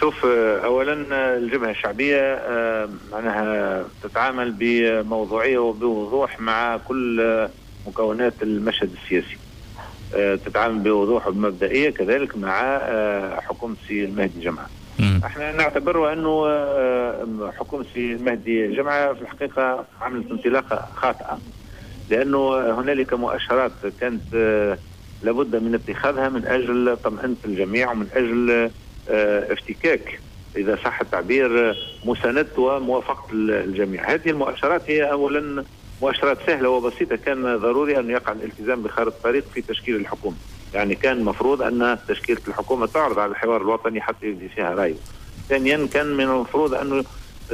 شوف، اولا الجبهة الشعبية معناها تتعامل بموضوعية وبوضوح مع كل مكونات المشهد السياسي، تتعامل بوضوح وبمبدئيه كذلك مع حكومة سي المهدي جمعه. احنا نعتبر انه حكومة سي المهدي جمعه في الحقيقة عملت انطلاقة خاطئه، لانه هنالك مؤشرات كانت لابد من اتخاذها من اجل طمأنة الجميع ومن اجل افتكاك اذا صح التعبير مساندة وموافقه الجميع. هذه المؤشرات هي اولا مؤشرات سهلة وبسيطة، كان ضروري ان يقع الالتزام بخارطه الطريق في تشكيل الحكومة، يعني كان المفروض ان تشكيله الحكومة تعرض على الحوار الوطني حتى يبدي فيها رايه. ثانيا كان من المفروض انه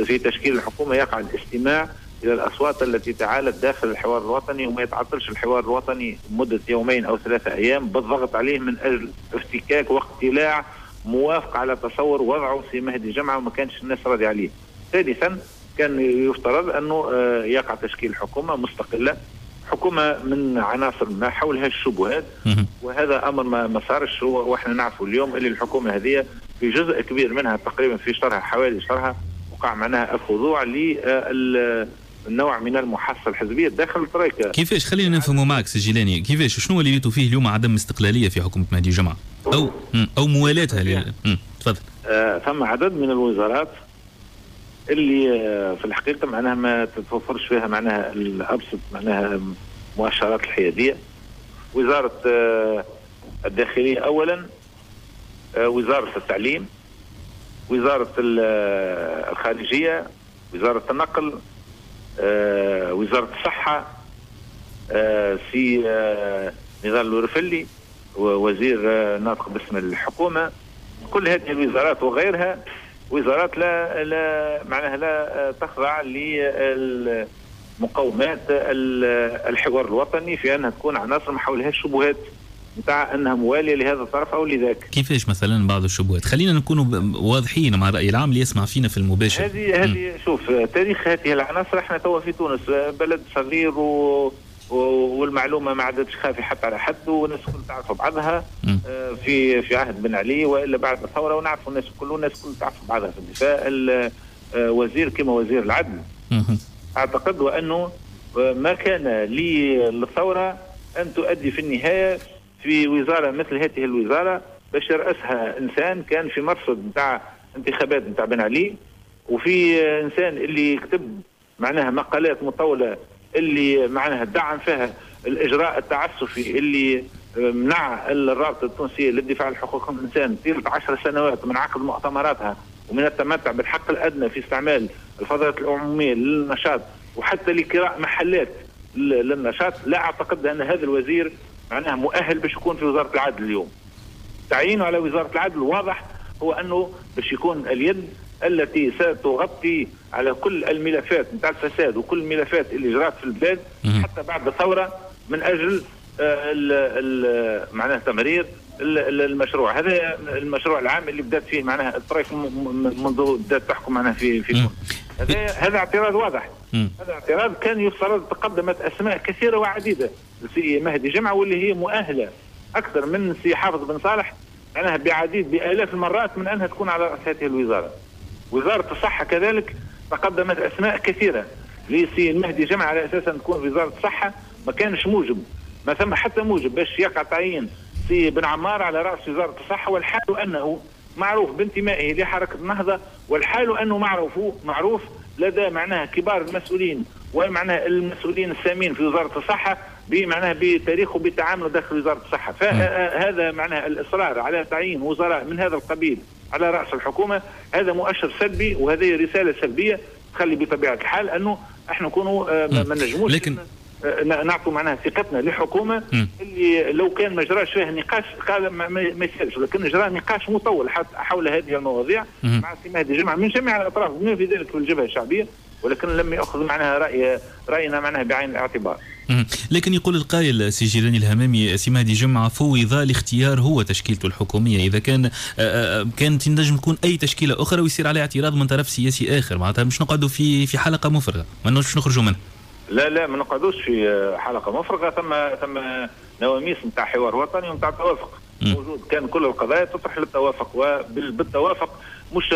في تشكيل الحكومة يقع الاستماع الى الاصوات التي تعالت داخل الحوار الوطني، وما يتعطلش الحوار الوطني مده يومين او 3 ايام بالضغط عليه من اجل افتكاك واقتلاع موافقة على تصور وضعه سي مهدي جمعه وما كانش الناس راضية عليه. ثالثا كان يفترض انه يقع تشكيل حكومة مستقلة، حكومة من عناصر ما حولها الشبهات، وهذا امر ما صارش. واحنا نعرفوا اليوم اللي الحكومة هذه في جزء كبير منها تقريبا في شطرها حوالي شطرها وقع معناها الخضوع للنوع من المحاصصه الحزبية داخل الترويكا. كيفاش؟ خلينا نفهموا معك سي جيلاني، كيفاش شنو اللي ريتوا فيه اليوم عدم استقلالية في حكومة مهدي جمعه او موالاتها؟ تفضل. ثم عدد من الوزارات اللي في الحقيقة معناها ما تتوفرش فيها معناها الابسط معناها مؤشرات الحيادية. وزارة الداخلية اولا، وزارة التعليم، وزارة الخارجية، وزارة النقل، وزارة الصحة، سي نضال الورفلي وزير ناطق باسم الحكومة. كل هذه الوزارات وغيرها وزارات لا لا معناها لا تخضع لمقومات الحوار الوطني في انها تكون عناصر ما حولها الشبهات نتاع انها مواليه لهذا الطرف او لذاك. كيفاش مثلا بعض الشبهات؟ خلينا نكونوا واضحين مع الراي العام اللي يسمع فينا في المباشر. هذه شوف تاريخ هذه العناصر. احنا توا في تونس بلد صغير والمعلومه ما عادتش خافية حتى على حد، والناس الكل تعرف بعضها. في عهد بن علي والا بعد الثورة، ونعرفوا الناس الكل، والناس الكل تعرف بعضها في الدفاع. وزير كما وزير العدل اعتقد وانه ما كان للثورة ان تؤدي في النهاية في وزارة مثل هذه الوزارة باش يرأسها انسان كان في مرصد نتاع انتخابات نتاع بن علي، وفي انسان اللي كتب معناها مقالات مطولة اللي معناها دعم فيها الاجراء التعسفي اللي منع الرابطة التونسية للدفاع عن حقوق الانسان طيلة 10 سنوات من عقد مؤتمراتها ومن التمتع بالحق الادنى في استعمال الفضاءات العمومية للنشاط وحتى لكراء محلات للنشاط. لا اعتقد ان هذا الوزير معناها مؤهل باش يكون في وزارة العدل اليوم. تعيينه على وزارة العدل واضح هو انه باش يكون اليد التي ستغطي على كل الملفات نتاع الفساد وكل الملفات اللي جرات في البلاد حتى بعد الثورة من اجل معناها تمرير المشروع هذا، المشروع العام اللي بدات فيه معناها الطريق منذ بدات تحكم معناها في تونس. هذا اعتراض واضح. هذا اعتراض كان يفترض تقدمت اسماء كثيرة وعديده سي مهدي جمعه واللي هي مؤهلة اكثر من سي حافظ بن صالح معناها بعديد بالاف المرات من انها تكون على راس هذه الوزارة. وزارة الصحة كذلك تقدمت اسماء كثيرة لسي المهدي جمعه على اساس ان تكون وزارة الصحة، ما كانش موجب، ما ثم حتى موجب باش يقع تعيين سي بن عمار على راس وزارة الصحة، والحال انه معروف بانتمائه لحركة النهضة، والحال انه معروف لدى معناها كبار المسؤولين ومعناها المسؤولين السامين في وزارة الصحة بمعناها بتاريخه بتعامله داخل وزارة الصحة. فهذا معناها الاصرار على تعيين وزراء من هذا القبيل على راس الحكومة هذا مؤشر سلبي، وهذه رسالة سلبية تخلي بطبيعة الحال انه احنا نكونوا ما نجموش لكن نعطوا معناها ثقتنا لحكومة اللي لو كان ما جراش فيها نقاش قال ما يسالش، لكن جرى نقاش مطول حول هذه المواضيع مع سي مهدي جمعه من جميع الاطراف بما في ذلك الجبهة الشعبية، ولكن لم ياخذ معناها راينا معناها بعين الاعتبار. لكن يقول القائل سي جيلاني الهمامي، سي مهدي جمعه فوض لاختيار هو تشكيلته الحكومية، اذا كانت تنجم تكون اي تشكيله اخرى ويصير عليها اعتراض من طرف سياسي اخر، معناتها مش نقعدوا في حلقة مفرغة، ما نجمش نخرجوا منها. لا لا، ما نقعدوش في حلقة مفرغة. ثم نواميس نتاع حوار وطني ونتاع توافق. موجود. كان كل القضايا تطرح للتوافق، وبالتوافق مش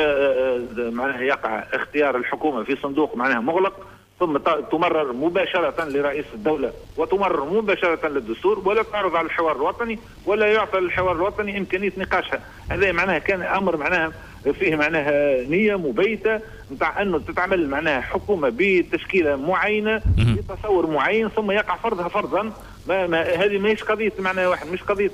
معناها يقع اختيار الحكومة في صندوق معناها مغلق ثم تمرر مباشرة لرئيس الدولة وتمرر مباشرة للدستور، ولا تعرض على الحوار الوطني ولا يعطى للحوار الوطني إمكانية نقاشها. هذا معناها كان أمر معناها فيه معناها نية مبيتة نتاع أنه تتعمل معناها حكومة بتشكيلة معينة بتصور معين ثم يقع فرضها فرضا. ما هذه ماهيش قضية معناها واحد، مش قضية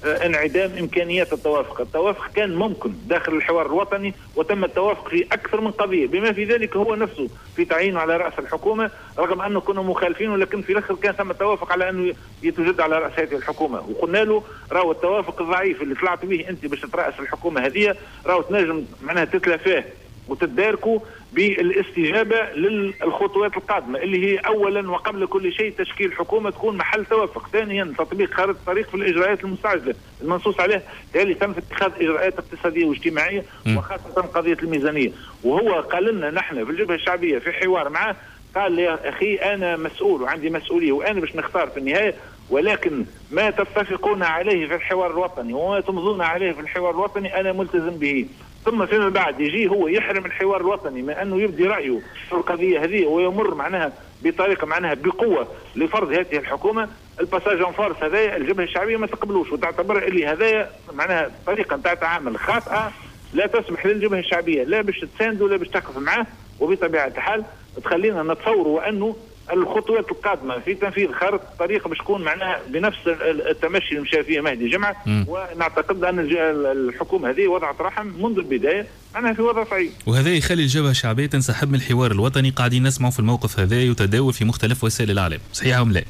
انعدام إمكانيات التوافق. التوافق كان ممكن داخل الحوار الوطني وتم التوافق في أكثر من قضية، بما في ذلك هو نفسه في تعيينه على رأس الحكومة، رغم أنه كنا مخالفين، ولكن في الآخر كان ثم توافق على أنه يتوجد على رأس هذه الحكومة. وقلنا له راهو التوافق الضعيف اللي طلعت به أنت باش ترأس الحكومة هذه راهو تنجم معناها تتلافاه وتتداركوا بالاستجابة للخطوات القادمة اللي هي أولا وقبل كل شيء تشكيل حكومة تكون محل توافق، ثانيا تطبيق خارطة الطريق في الإجراءات المستعجلة المنصوص عليها، ثالثا في اتخاذ إجراءات اقتصادية واجتماعية وخاصة قضية الميزانية. وهو قال لنا نحن في الجبهة الشعبية في حوار معه، قال يا أخي أنا مسؤول وعندي مسؤولية وأنا باش نختار في النهاية، ولكن ما تتفقون عليه في الحوار الوطني وما تمضون عليه في الحوار الوطني أنا ملتزم به. ثم فيما بعد يجي هو يحرم الحوار الوطني من أنه يبدي رأيه في القضية هذه ويمر معناها بطريقة معناها بقوة لفرض هذه الحكومة. ال passage en force هذايا الجبهة الشعبية ما تقبلوش، وتعتبر اللي هذايا معناها طريقة نتاع تعامل خاطئة لا تسمح للجبهة الشعبية لا باش تساند ولا باش تقف معاه، وبطبيعة الحال تخلينا نتصوروا أنه الخطوات القادمة في تنفيذ خارطة الطريق باش تكون معناها بنفس التمشي اللي مشى فيه مهدي جمعة. ونعتقد أن الحكومة هذه وضعت رحم منذ البداية معناها في وضع صعيب، وهذا يخلي الجبهة الشعبية تنسحب من الحوار الوطني. قاعدين نسمعوا في الموقف هذا يتداول في مختلف وسائل الإعلام، صحيح أم لا؟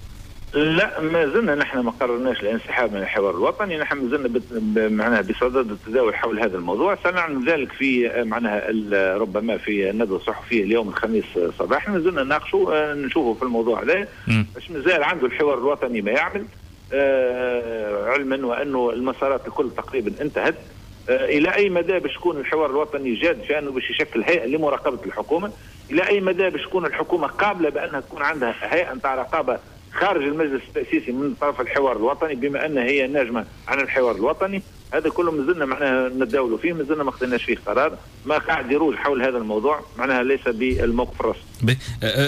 لا، ما زلنا نحن ما قررناش الانسحاب من الحوار الوطني، نحن ما زلنا معناها بصدد التداول حول هذا الموضوع. سنعلن ذلك في معناها ربما في الندوة الصحفية اليوم الخميس صباحا. ما زلنا نناقشوا نشوفوا في الموضوع هذا باش مازال عنده الحوار الوطني ما يعمل، علما وانه المسارات الكل تقريبا انتهت. الى اي مدى باش يكون الحوار الوطني جاد في انه باش يشكل هيئة لمراقبه الحكومة؟ الى اي مدى باش تكون الحكومة قابله بانها تكون عندها هيئة نتاع رقابه خارج المجلس التأسيسي من طرف الحوار الوطني، بما أن هي ناجمة عن الحوار الوطني؟ هذا كله مازلنا معناها نتداولوا فيه، مازلنا ما خدناش فيه قرار، ما قاعد يروج حول هذا الموضوع معناها ليس بالموقف الرسمي.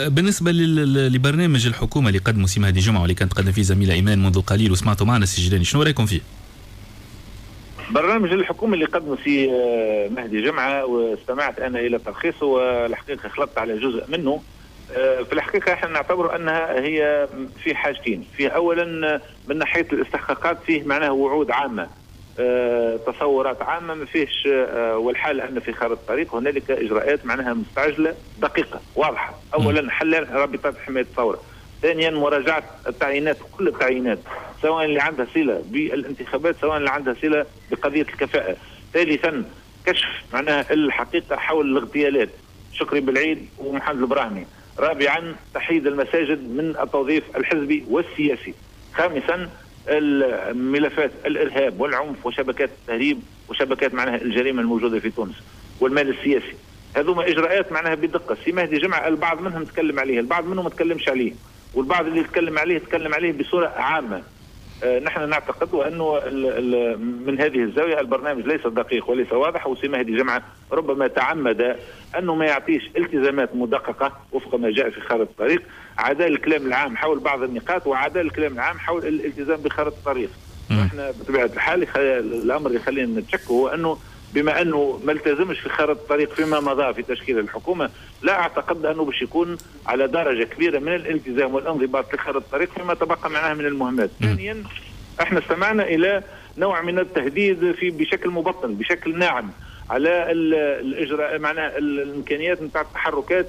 بالنسبة لبرنامج الحكومة اللي قدمه سي مهدي جمعة واللي كانت تقدم فيه زميلة إيمان منذ قليل وسمعتوا معنا سي جيلاني، شنو رأيكم فيه؟ برنامج الحكومة اللي قدمه سي مهدي جمعة واستمعت أنا إلى تلخيصه والحقيقة خلطت على جزء منه. في الحقيقة احنا نعتبر أنها هي في حاجتين، فيه أولا من ناحية الاستحقاقات فيه معناها وعود عامة، تصورات عامة ما فيهش، والحال أن في خارطة الطريق هنالك إجراءات معناها مستعجلة دقيقة واضحة. أولا حل رابطات حماية الثورة، ثانيا مراجعة التعيينات، كل التعيينات سواء اللي عندها صلة بالانتخابات سواء اللي عندها صلة بقضية الكفاءة، ثالثا كشف معناها الحقيقة حول الاغتيالات شكري بالعيد ومحمد البراهمي، رابعا تحييد المساجد من التوظيف الحزبي والسياسي، خامسا الملفات الارهاب والعنف وشبكات التهريب وشبكات معناها الجريمة الموجودة في تونس والمال السياسي. هذوما اجراءات معناها بدقة. سي مهدي جمعه البعض منهم تكلم عليه، البعض منهم ما تكلمش عليه، والبعض اللي تكلم عليه تكلم عليه بصورة عامة. نحن نعتقد أنه من هذه الزاوية البرنامج ليس دقيق وليس واضح، وسي مهدي جمعة ربما تعمد أنه ما يعطيش التزامات مدققة وفق ما جاء في خارطة الطريق، عدا الكلام العام حول بعض النقاط وعدا الكلام العام حول الالتزام بخارطة الطريق. احنا بطبيعة الحال الأمر اللي يخلينا نتشك هو أنه بما أنه ما التزمش في خارطة الطريق فيما مضى في تشكيل الحكومة، لا أعتقد أنه باش يكون على درجة كبيرة من الالتزام والانضباط لخارطة الطريق فيما تبقى معها من المهمات. ثانيا احنا استمعنا إلى نوع من التهديد في بشكل مبطن بشكل ناعم على الإجراء معناها الإمكانيات نتاع التحركات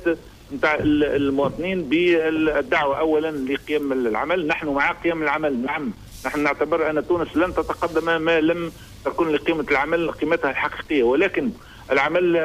نتاع المواطنين بالدعوة أولا لقيام العمل. نحن مع قيام العمل، نعم، نحن نعتبر أن تونس لن تتقدم ما لم تكون لقيمة العمل قيمتها الحقيقية، ولكن العمل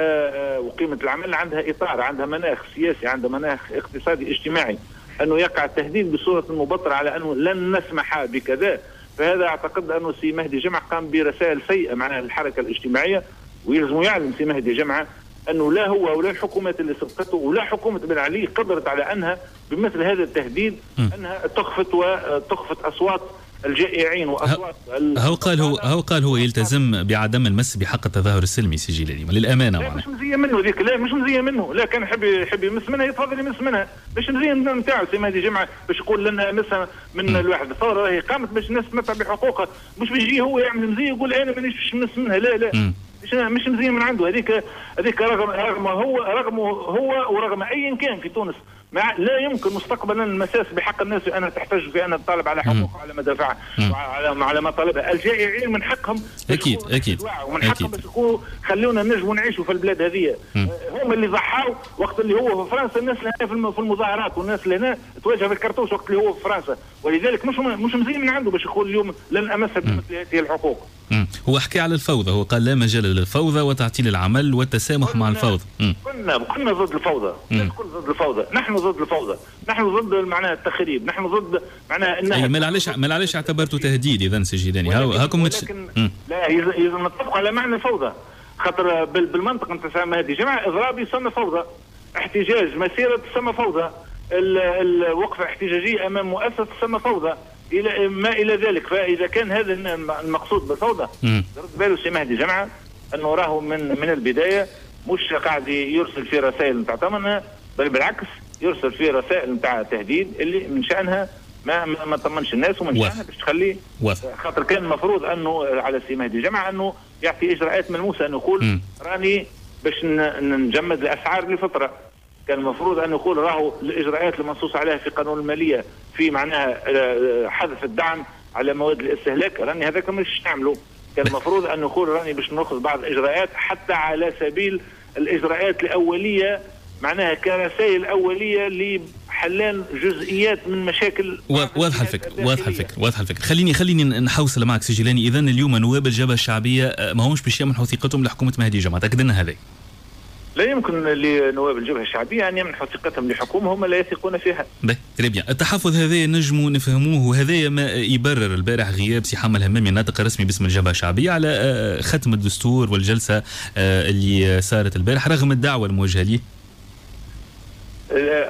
وقيمة العمل عندها إطار، عندها مناخ سياسي، عندها مناخ اقتصادي اجتماعي. أنه يقع التهديد بصورة مبطرة على أنه لن نسمح بكذا، فهذا أعتقد أنه سي مهدي جمعة قام برسائل سيئة معناها للحركة الاجتماعية، ويلزم يعلم سي مهدي جمعة أنه لا هو ولا الحكومات اللي سبقته ولا حكومة بن علي قدرت على أنها بمثل هذا التهديد أنها تخفت وتخفت أصوات الجائعين واصوات. هو قال هو يلتزم بعدم المس بحق التظاهر السلمي سي جيلاني، للامانه. لا، مش مزية منه ذيك، لا مش مزية منه. لا، كان يحب يمس منها يتفضل يمس منها، مش مزية نتاعو سي مهدي جمعه باش يقول لنا مسها من الواحد. الثورة راهي قامت باش الناس تمتع بحقوقها، مش باش يجي هو يعمل مزية يقول انا مانيش باش نمس منها. لا لا، مش مزية من عنده هذيك. رغم هو ورغم ايا كان في تونس، لا يمكن مستقبلا المساس بحق الناس في انها تحتج، في انها تطالب على حقوقها، على مدافعها، على مطالبها. الجائعين من حقهم ومن حقهم باش يقولوا خلونا نجموا نعيشوا في البلاد هذه. هم اللي ضحوا وقت اللي هو في فرنسا، الناس اللي في المظاهرات والناس اللي هنا تواجه بالكرتوش وقت اللي هو في فرنسا، ولذلك مش مزية من عنده باش يقول اليوم لن امس بمثل هذه الحقوق. هو حكى على الفوضى، هو قال لا مجال للفوضى وتعطيل العمل والتسامح مع الفوضى. كنا ضد الفوضى، الكل ضد الفوضى، نحن ضد الفوضى، نحن ضد معناها التخريب، نحن ضد معناها انها ما علاش اعتبرته تهديد اذا سي جيلاني؟ هاكم ولكن لا، يلزم نتفق على معنى الفوضى، خاطر بالمنطق نتاع مهدي جمعه اضراب يسمى فوضى، احتجاج مسيره تسمى فوضى، الوقفة احتجاجية امام مؤسسة تسمى فوضى، الى ما الى ذلك. فاذا كان هذا المقصود بالفوضى، رد باله سي مهدي جمعه انه راهو من البداية مش قاعد يرسل في رسائل نتاع طمأنة، بل بالعكس يرسل في رسائل نتاع تهديد اللي من شانها ما طمنش الناس ومن شانها باش تخلي، خاطر كان المفروض انه على سي مهدي جمعه انه يعطي اجراءات ملموسه، انه يقول راني باش نجمد الاسعار لفتره. كان المفروض ان يقول راهو الاجراءات المنصوص عليها في قانون المالية في معناها حذف الدعم على مواد الاستهلاك، راني هذاك مش نعمله. كان المفروض ان يقول راني باش ناخذ بعض الاجراءات، حتى على سبيل الاجراءات الاوليه، معناها كرسائل اوليه لحلان جزئيات من مشاكل. واضحة الفكره، واضحة الفكره، واضحة الفكره. خليني نحوصل معك سي جيلاني. اذا اليوم نواب الجبهة الشعبية ما همش باش يمنحوا ثقتهم لحكومة مهدي جمعه، تاكد لنا هذا؟ لا يمكن لنواب الجبهة الشعبية ان يمنحوا ثقتهم لحكومة هم لا يثقون فيها. باهي، très bien. التحفظ هذا نجموا نفهموه، وهذا ما يبرر البارح غياب سي حمة الهمامي الناطق الرسمي باسم الجبهة الشعبية على ختم الدستور والجلسه اللي صارت البارح رغم الدعوة الموجهة ليه.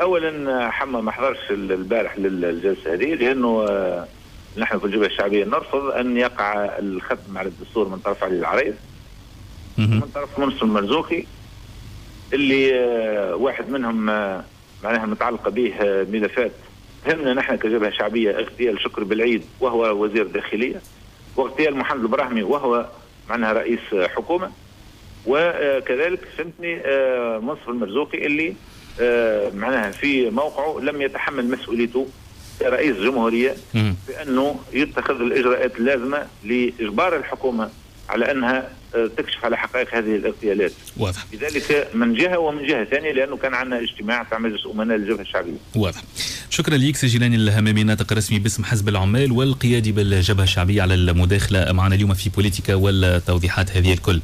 اولا حمة ما حضرش البارح للجلسه هذه لانه نحن في الجبهة الشعبية نرفض ان يقع الختم على الدستور من طرف علي العريض، من طرف منصف المرزوقي، اللي واحد منهم معناها متعلقه به ملفات تهمنا نحن كجبهه شعبيه: اغتيال شكري بلعيد وهو وزير داخليه، واغتيال محمد البراهمي وهو معناها رئيس حكومه، وكذلك فهمتني منصف المرزوقي اللي معناها في موقعه لم يتحمل مسؤوليته كرئيس جمهورية بانه يتخذ الاجراءات اللازمة لاجبار الحكومة على انها تكشف على حقائق هذه الاغتيالات. لذلك من جهه، ومن جهة ثانية لانه كان عندنا اجتماع تاع مجلس امناء الجبهة الشعبية. واضح. شكرا لك سي جيلاني الهمامي، ناطق رسمي باسم حزب العمال والقيادي بالجبهة الشعبيه، على المداخلة معنا اليوم في بوليتيكا والتوضيحات هذه الكل.